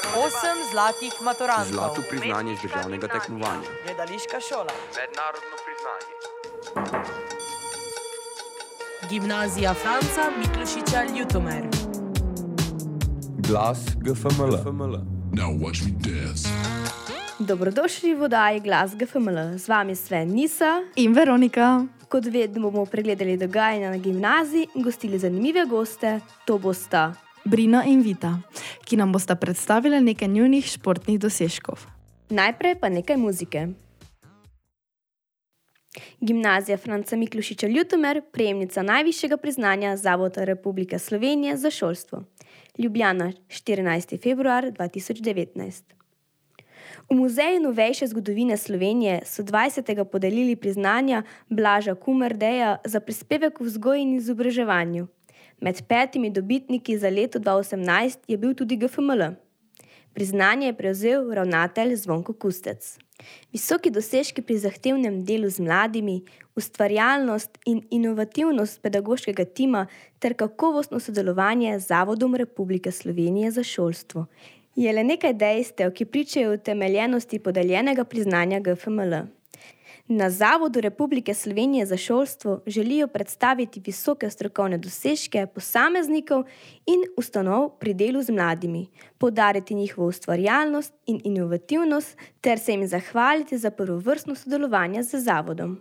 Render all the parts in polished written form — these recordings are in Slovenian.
8 zlatih maturantov. Zlato priznanje z državnega tekmovanja. Gledališka šola. Mednarodno priznanje. Gimnazija Franca Miklošiča Ljutomer. Glas GFML. Now watch me dance. Dobrodošli v oddaji Glas GFML. Z vami Sven Nisa in Veronika. Kot vedno bomo pregledali dogajanja na gimnaziji in gostili zanimive goste. To bosta Brina in Vita, ki nam bosta predstavili nekaj njunih športnih dosežkov. Najprej pa nekaj muzike. Gimnazija Franca Miklošiča Ljutomer, prejemnica najvišjega priznanja Zavoda Republike Slovenije za šolstvo. Ljubljana, 14. februar 2019. V Muzeju novejše zgodovine Slovenije so 20. podelili priznanja Blaža Kumardeja za prispevek v vzgoji in izobraževanju. Med 5 dobitniki za leto 2018 je bil tudi GFML. Priznanje je prevzel ravnatelj Zvonko Kustec. Visoki dosežki pri zahtevnem delu z mladimi, ustvarjalnost in inovativnost pedagoškega tima ter kakovostno sodelovanje z Zavodom Republike Slovenije za šolstvo je le nekaj dejstev, ki pričajo o utemeljenosti podeljenega priznanja GFML. Na Zavodu Republike Slovenije za šolstvo želijo predstaviti visoke strokovne dosežke posameznikov in ustanov pri delu z mladimi, poudariti njihovo ustvarjalnost in inovativnost ter se jim zahvaliti za prvovrstno sodelovanje z zavodom.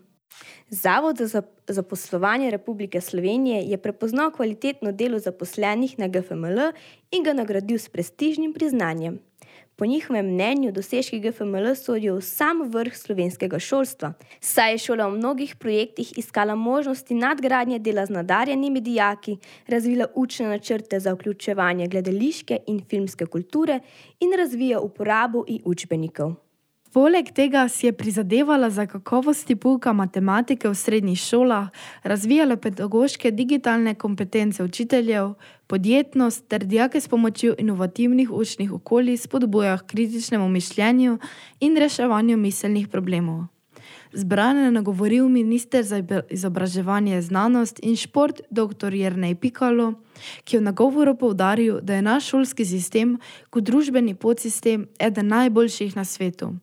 Zavod za zaposlovanje Republike Slovenije je prepoznal kvalitetno delo zaposlenih na GFML in ga nagradil s prestižnim priznanjem. Po njihovem mnenju dosežki GFML sodijo v sam vrh slovenskega šolstva, saj je šola v mnogih projektih iskala možnosti nadgradnje dela z nadarjenimi dijaki, razvila učne načrte za vključevanje gledališke in filmske kulture in razvija uporabo učbenikov. Poleg tega si je prizadevala za kakovosti pouka matematike v srednjih šolah, razvijala pedagoške digitalne kompetence učiteljev, podjetnost ter dijake s pomočjo inovativnih učnih okolij spodbuja k kritičnemu mišljenju in reševanju miselnih problemov. Zbrane je nagovoril minister za izobraževanje, znanost in šport dr. Jernej Pikalo, ki je v nagovoru poudaril, da je naš šolski sistem kot družbeni podsistem eden najboljših na svetu.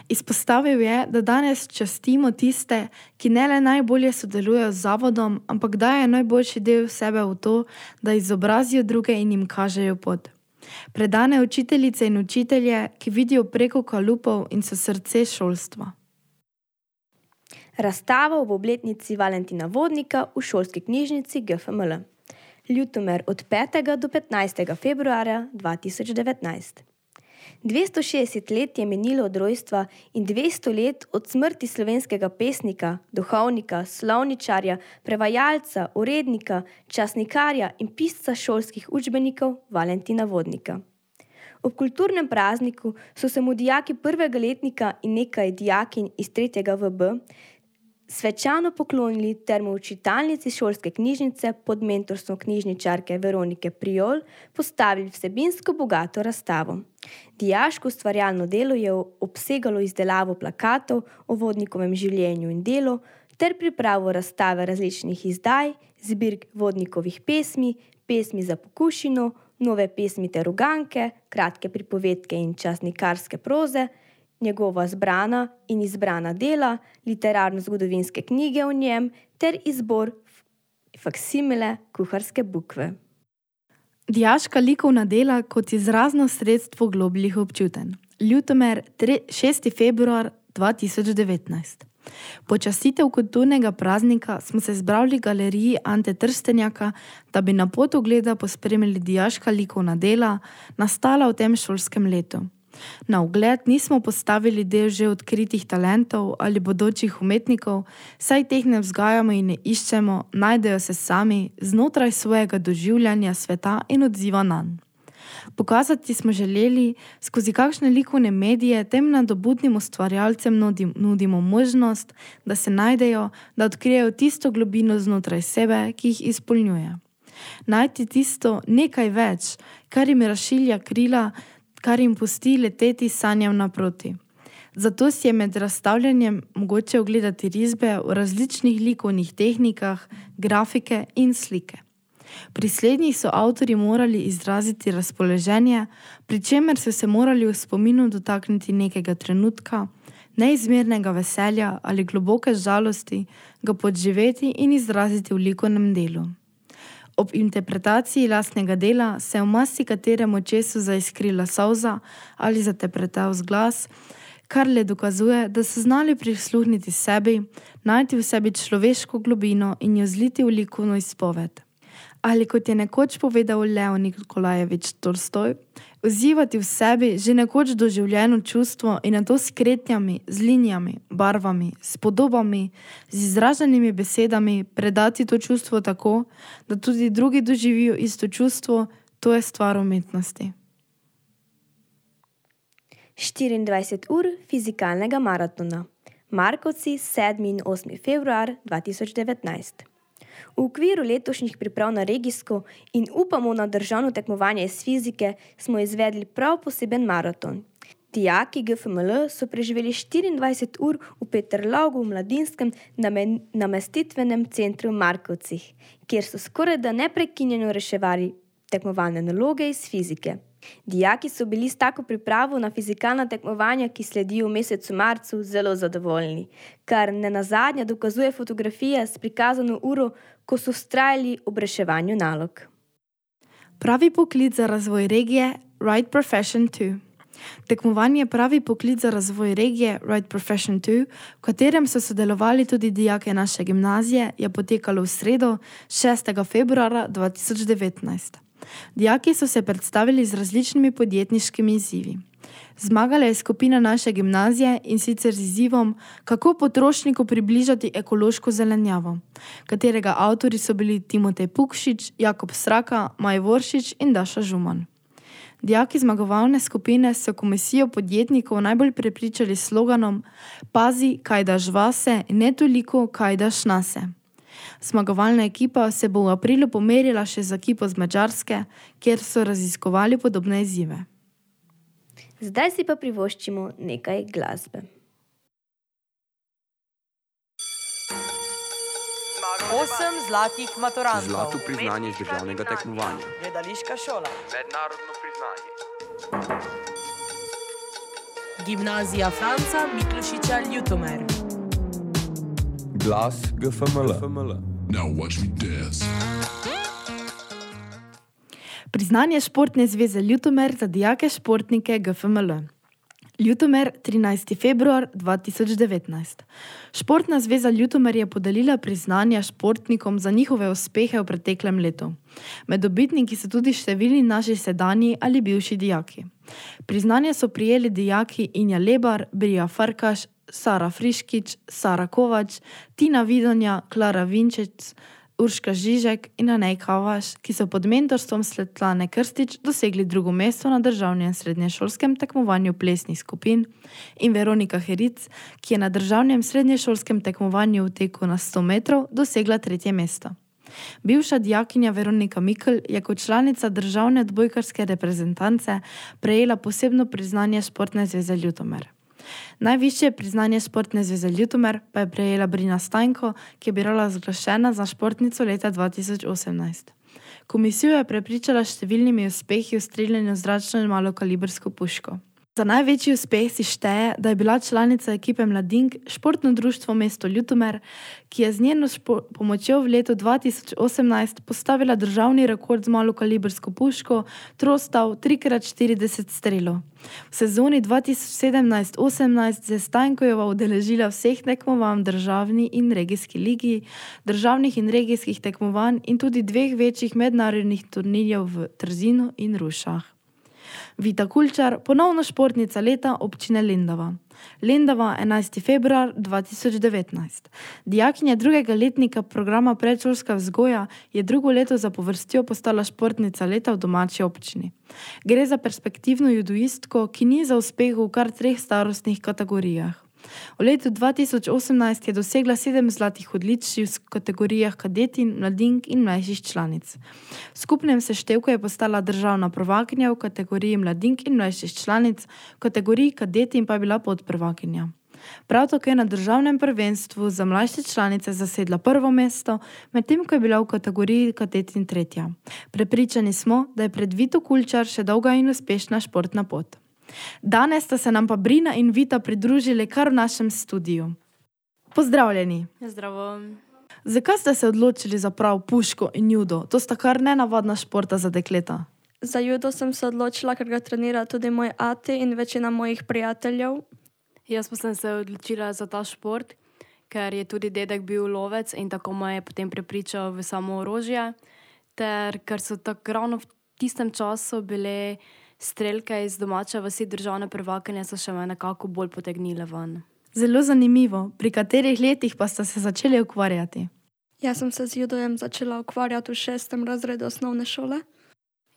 Izpostavil je, da danes častimo tiste, ki ne le najbolje sodelujejo z zavodom, ampak daje najboljši del sebe v to, da izobrazijo druge in jim kažejo pot. Predane učiteljice in učitelje, ki vidijo preko kalupov in so srce šolstva. Razstava ob obletnici Valentina Vodnika v šolski knjižnici GFML. Ljutomer od 5. do 15. februarja 2019. 260 let je minilo od rojstva in 200 let od smrti slovenskega pesnika, duhovnika, slovničarja, prevajalca, urednika, časnikarja in pisca šolskih učbenikov Valentina Vodnika. Ob kulturnem prazniku so se mu dijaki prvega letnika in nekaj dijakinj iz 3. VB svečano poklonili ter mu v čitalnici šolske knjižnice pod mentorstvom knjižničarke Veronike Prijol postavili vsebinsko bogato razstavo. Dijaško ustvarjalno delo je obsegalo izdelavo plakatov o Vodnikovem življenju in delu ter pripravo razstave različnih izdaj, zbirk Vodnikovih pesmi, pesmi za pokušino, nove pesmi ter uganke, kratke pripovedke in časnikarske proze, njegova zbrana in izbrana dela, literarno-zgodovinske knjige o njem ter izbor faksimile kuharske bukve. Dijaška likovna dela kot izrazno sredstvo globljih občutenj. Ljutomer, 6. februar 2019. Počastitev kulturnega praznika smo se zbrali v galeriji Ante Trstenjaka, da bi na pot ogleda pospremili dijaška likovna dela, nastala v tem šolskem letu. Na ogled nismo postavili del že odkritih talentov ali bodočih umetnikov, saj teh ne vzgajamo in ne iščemo, najdejo se sami znotraj svojega doživljanja sveta in odziva nanj. Pokazati smo želeli, skozi kakšne likovne medije tem nadobudnim ustvarjalcem nudimo možnost, da se najdejo, da odkrijejo tisto globino znotraj sebe, ki jih izpolnjuje. Najti tisto nekaj več, kar jim razšilja krila, kar jim pusti leteti sanjam naproti. Zato si je med razstavljanjem mogoče ogledati risbe v različnih likovnih tehnikah, grafike in slike. Pri slednjih so avtorji morali izraziti razpoloženje, pri čemer so se morali v spominu dotakniti nekega trenutka, neizmernega veselja ali globoke žalosti, ga podživeti in izraziti v likovnem delu. Ob interpretaciji lastnega dela se je v marsikaterem očesu zaiskrila solza ali zatepretel glas, kar le dokazuje, da so znali prisluhniti sebi, najti v sebi človeško globino in jo zliti v likovno izpoved. Ali kot je nekoč povedal Lev Nikolajevič Tolstoj, vzivati v sebi že nekoč doživljeno čustvo in nato s kretnjami, z linijami, barvami, s podobami, z izraženimi besedami predati to čustvo tako, da tudi drugi doživijo isto čustvo, to je stvar umetnosti. 24 ur fizikalnega maratona. Markovci 7. in 8. februar 2019. V okviru letošnjih priprav na regijsko in upamo na državno tekmovanje iz fizike smo izvedli prav poseben maraton. Dijaki GFML so preživeli 24 ur v Peterlogu v mladinskem namestitvenem centru v Markovcih, kjer so skorajda neprekinjeno reševali tekmovalne naloge iz fizike. Dijaki so bili s tako pripravo na fizikalna tekmovanja, ki sledijo v mesecu marcu, zelo zadovoljni, kar nenazadnje dokazuje fotografija s prikazano uro, ko so vztrajali ob reševanju nalog. Pravi poklic za razvoj regije Right Profession 2. Tekmovanje Pravi poklic za razvoj regije Right Profession 2, v katerem so sodelovali tudi dijake naše gimnazije, je potekalo v sredo 6. februarja 2019. Dijaki so se predstavili z različnimi podjetniškimi izzivi. Zmagala je skupina naše gimnazije in sicer z izzivom, kako potrošniku približati ekološko zelenjavo, katerega avtorji so bili Timotej Pukšič, Jakob Sraka, Maj Voršič in Daša Žuman. Dijaki zmagovalne skupine so komisijo podjetnikov najbolj prepričali s sloganom Pazi, kaj daš vase, ne toliko, kaj daš nase. Zmagovalna ekipa se bo v aprilu pomerila še z ekipo z Madžarske, kjer so raziskovali podobne izzive. Zdaj si pa privoščimo nekaj glasbe. 8 zlatih maturantov. Zlato priznanje iz državnega tekmovanja. Gledališka šola. Mednarodno priznanje. Gimnazija Franca Miklošiča Ljutomer. Glas GFML. Now watch me dance. Priznanje Športne zveze Ljutomer za dijake športnike GFML. Ljutomer, 13. februar 2019. Športna zveza Ljutomer je podelila priznanja športnikom za njihove uspehe v preteklem letu. Med dobitniki so tudi številni naši sedanji ali bivši dijaki. Priznanje so prijeli dijaki Inja Lebar, Brija Farkaš, Sara Friškič, Sara Kovač, Tina Vidonja, Klara Vinčec, Urška Žižek in Anej Kavaš, ki so pod mentorstvom Svetlane Krstič dosegli drugo mesto na državnem srednješolskem tekmovanju plesnih skupin, in Veronika Heric, ki je na državnem srednješolskem tekmovanju v teku na 100 metrov dosegla 3. mesto. Bivša dijakinja Veronika Mikl je kot članica državne odbojkarske reprezentance prejela posebno priznanje Športne zveze Ljutomer. Najvišje priznanje Športne zveze Ljutomer pa je prejela Brina Stajnko, ki je bila razglašena za športnico leta 2018. Komisijo je prepričala s številnimi uspehi v streljanju zračno in malokalibrsko puško. Za največji uspeh si šteje, da je bila članica ekipe Mladink Športno društvo mesto Ljutomer, ki je z njeno pomočjo v letu 2018 postavila državni rekord z malokalibrsko puško Trostav 3x40 strelov. V sezoni 2017-18 se je Stajnkojeva udeležila vseh tekmovanj v državni in regijski ligi, državnih in regijskih tekmovanj in tudi 2 večjih mednarodnih turnirjev v Trzinu in Rušah. Vita Kulčar, ponovno športnica leta občine Lendava. Lendava, 11. februar 2019. Dijakinja 2. letnika programa predšolska vzgoja je drugo leto zapovrstjo postala športnica leta v domači občini. Gre za perspektivno judoistko, ki ni za uspeh v kar 3 starostnih kategorijah. V letu 2018 je dosegla 7 zlatih odličij v kategorijah kadetin, mladink in mlajših članic. V skupnem seštevku je postala državna prvakinja v kategoriji mladink in mlajših članic, v kategoriji kadetin pa je bila podprvakinja. Prav tako je na državnem prvenstvu za mlajše članice zasedla prvo mesto, medtem ko je bila v kategoriji kadetin tretja. Prepričani smo, da je pred Vito Kulčar še dolga in uspešna športna pot. Danes sta se nam pa Brina in Vita pridružili kar v našem studiu. Pozdravljeni! Zdravo. Zakaj ste se odločili za prav puško in judo? To sta kar nenavadna športa za dekleta. Za judo sem se odločila, ker ga trenira tudi moj ati in večina mojih prijateljev. Jaz pa sem se odločila za ta šport, ker je tudi dedek bil lovec in tako me je potem prepričal v samo orožje. Ter ker so tako ravno v tistem času bile strelke iz domače vasi državne prvakinje, so še me nekako bolj potegnile ven. Zelo zanimivo. Pri katerih letih pa ste se začeli ukvarjati? Jaz sem se z judojem začela ukvarjati v 6. razredu osnovne šole.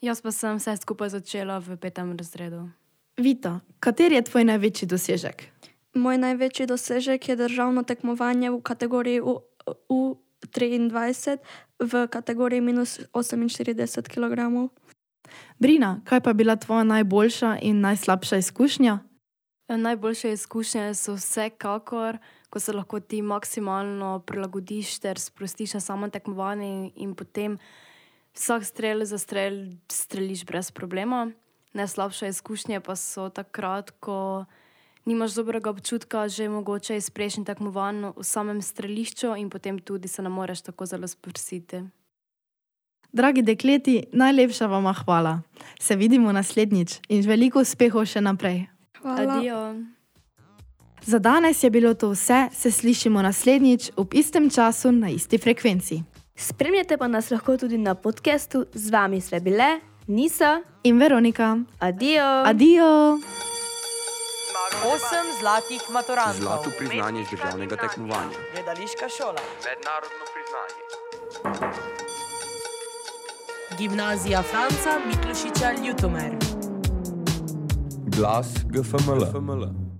Jaz pa sem vse skupaj začela v 5. razredu. Vita, kateri je tvoj največji dosežek? Moj največji dosežek je državno tekmovanje v kategoriji U23 v kategoriji minus 48 kg. Brina, kaj pa je bila tvoja najboljša in najslabša izkušnja? Najboljše izkušnje so vsekakor, ko se lahko ti maksimalno prilagodiš ter sprostiš na samo tekmovanje in potem vsak strel za strel streliš brez problema. Najslabše izkušnje pa so takrat, ko nimaš dobrega občutka, že mogoče iz prejšnjih tekmovanj v samem strelišču in potem tudi se ne moreš tako zelo sprostiti. Dragi dekleti, najlepša vama hvala. Se vidimo naslednjič in veliko uspehov še naprej. Hvala. Adijo. Za danes je bilo to vse, se slišimo naslednjič ob istem času na isti frekvenci. Spremljate pa nas lahko tudi na podcastu. Z vami sve bile Nisa in Veronika. Adijo! Adijo! 8 zlatih maturantov. Zlato priznanje z državnega tekmovanja. Gledališka šola. Mednarodno priznanje. Gimnazija Franca Miklošiča Ljutomer. Glas GFML.